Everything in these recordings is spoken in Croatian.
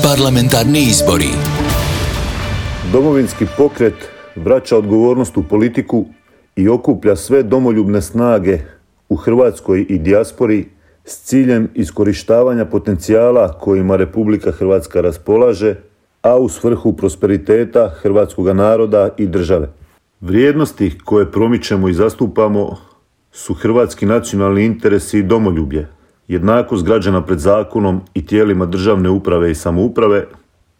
Parlamentarni izbori. Domovinski pokret vraća odgovornost u politiku i okuplja sve domoljubne snage u Hrvatskoj i dijaspori s ciljem iskorištavanja potencijala kojima Republika Hrvatska raspolaže, a u svrhu prosperiteta hrvatskoga naroda i države. Vrijednosti koje promičemo i zastupamo su hrvatski nacionalni interesi i domoljublje, jednakost građana pred zakonom i tijelima državne uprave i samouprave,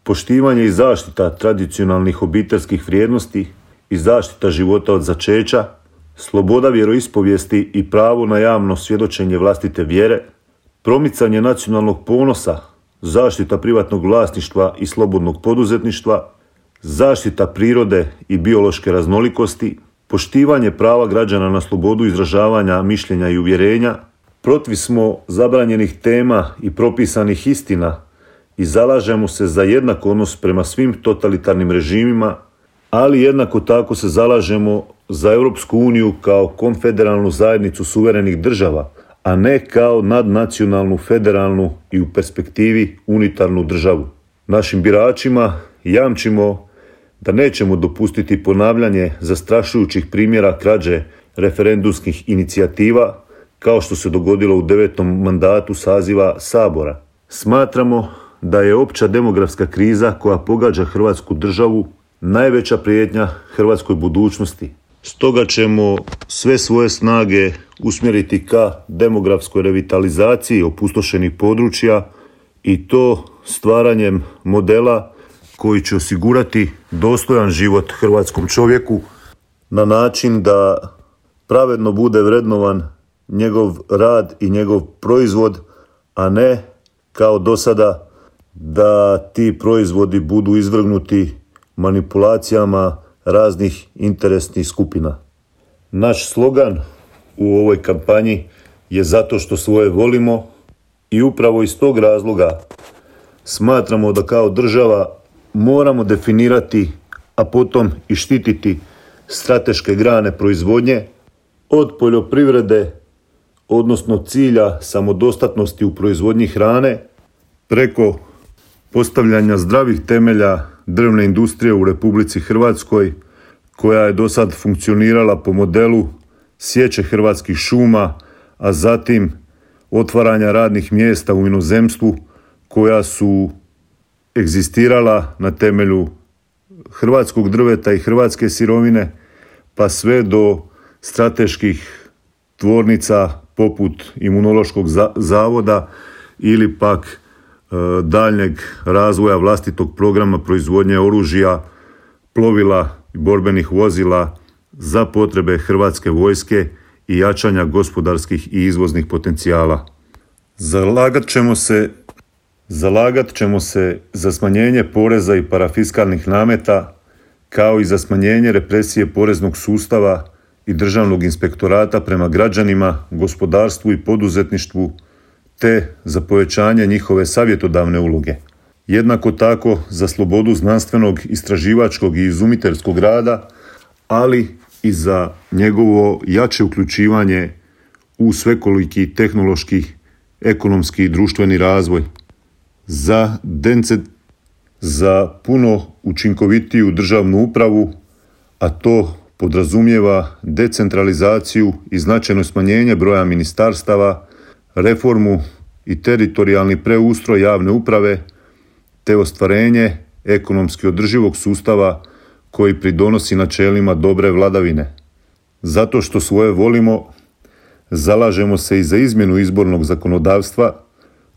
poštivanje i zaštita tradicionalnih obiteljskih vrijednosti i zaštita života od začeća, sloboda vjeroispovijesti i pravo na javno svjedočenje vlastite vjere, promicanje nacionalnog ponosa, zaštita privatnog vlasništva i slobodnog poduzetništva, zaštita prirode i biološke raznolikosti, poštivanje prava građana na slobodu izražavanja mišljenja i uvjerenja. Protiv smo zabranjenih tema i propisanih istina i zalažemo se za jednak odnos prema svim totalitarnim režimima, ali jednako tako se zalažemo za Europsku uniju kao konfederalnu zajednicu suverenih država, a ne kao nadnacionalnu, federalnu i u perspektivi unitarnu državu. Našim biračima jamčimo da nećemo dopustiti ponavljanje zastrašujućih primjera krađe referendumskih inicijativa, kao što se dogodilo u 9. mandatu saziva Sabora. Smatramo da je opća demografska kriza koja pogađa Hrvatsku državu najveća prijetnja hrvatskoj budućnosti. Stoga ćemo sve svoje snage usmjeriti ka demografskoj revitalizaciji opustošenih područja i to stvaranjem modela koji će osigurati dostojan život hrvatskom čovjeku na način da pravedno bude vrednovan njegov rad i njegov proizvod, a ne kao do sada da ti proizvodi budu izvrgnuti manipulacijama raznih interesnih skupina. Naš slogan u ovoj kampanji je zato što svoje volimo i upravo iz tog razloga smatramo da kao država moramo definirati, a potom i štititi strateške grane proizvodnje od poljoprivrede, odnosno cilja samodostatnosti u proizvodnji hrane, preko postavljanja zdravih temelja drvne industrije u Republici Hrvatskoj, koja je do sad funkcionirala po modelu sječe hrvatskih šuma, a zatim otvaranja radnih mjesta u inozemstvu koja su egzistirala na temelju hrvatskog drveta i hrvatske sirovine, pa sve do strateških tvornica poput Imunološkog zavoda ili pak daljnjeg razvoja vlastitog programa proizvodnje oružja, plovila i borbenih vozila za potrebe Hrvatske vojske i jačanja gospodarskih i izvoznih potencijala. Zalagat ćemo se za smanjenje poreza i parafiskalnih nameta, kao i za smanjenje represije poreznog sustava i državnog inspektorata prema građanima, gospodarstvu i poduzetništvu, te za povećanje njihove savjetodavne uloge. Jednako tako za slobodu znanstvenog, istraživačkog i izumiteljskog rada, ali i za njegovo jače uključivanje u svekoliki tehnološki, ekonomski i društveni razvoj. Za puno učinkovitiju državnu upravu, a to podrazumijeva decentralizaciju i značajno smanjenje broja ministarstava, reformu i teritorijalni preustroj javne uprave, te ostvarenje ekonomski održivog sustava koji pridonosi načelima dobre vladavine. Zato što svoje volimo, zalažemo se i za izmjenu izbornog zakonodavstva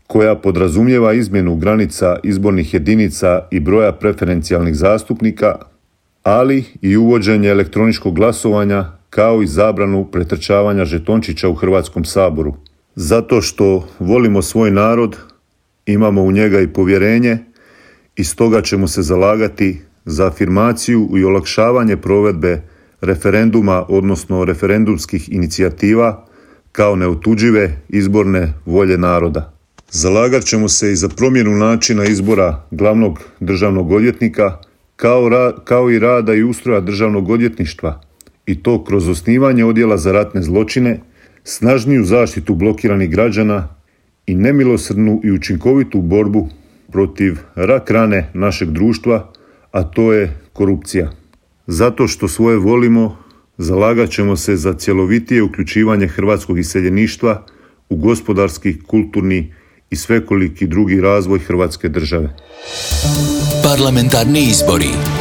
koja podrazumijeva izmjenu granica izbornih jedinica i broja preferencijalnih zastupnika, ali i uvođenje elektroničkog glasovanja kao i zabranu pretrčavanja žetončića u Hrvatskom saboru. Zato što volimo svoj narod, imamo u njega i povjerenje i stoga ćemo se zalagati za afirmaciju i olakšavanje provedbe referenduma, odnosno referendumskih inicijativa kao neotuđive izborne volje naroda. Zalagat ćemo se i za promjenu načina izbora glavnog državnog odvjetnika, kao i rada i ustroja državnog odvjetništva, i to kroz osnivanje odjela za ratne zločine, snažniju zaštitu blokiranih građana i nemilosrdnu i učinkovitu borbu protiv rak rane našeg društva, a to je korupcija. Zato što svoje volimo, zalagat ćemo se za cjelovitije uključivanje hrvatskog iseljeništva u gospodarski, kulturni i svekoliki drugi razvoj Hrvatske države. Parlamentarni izbori.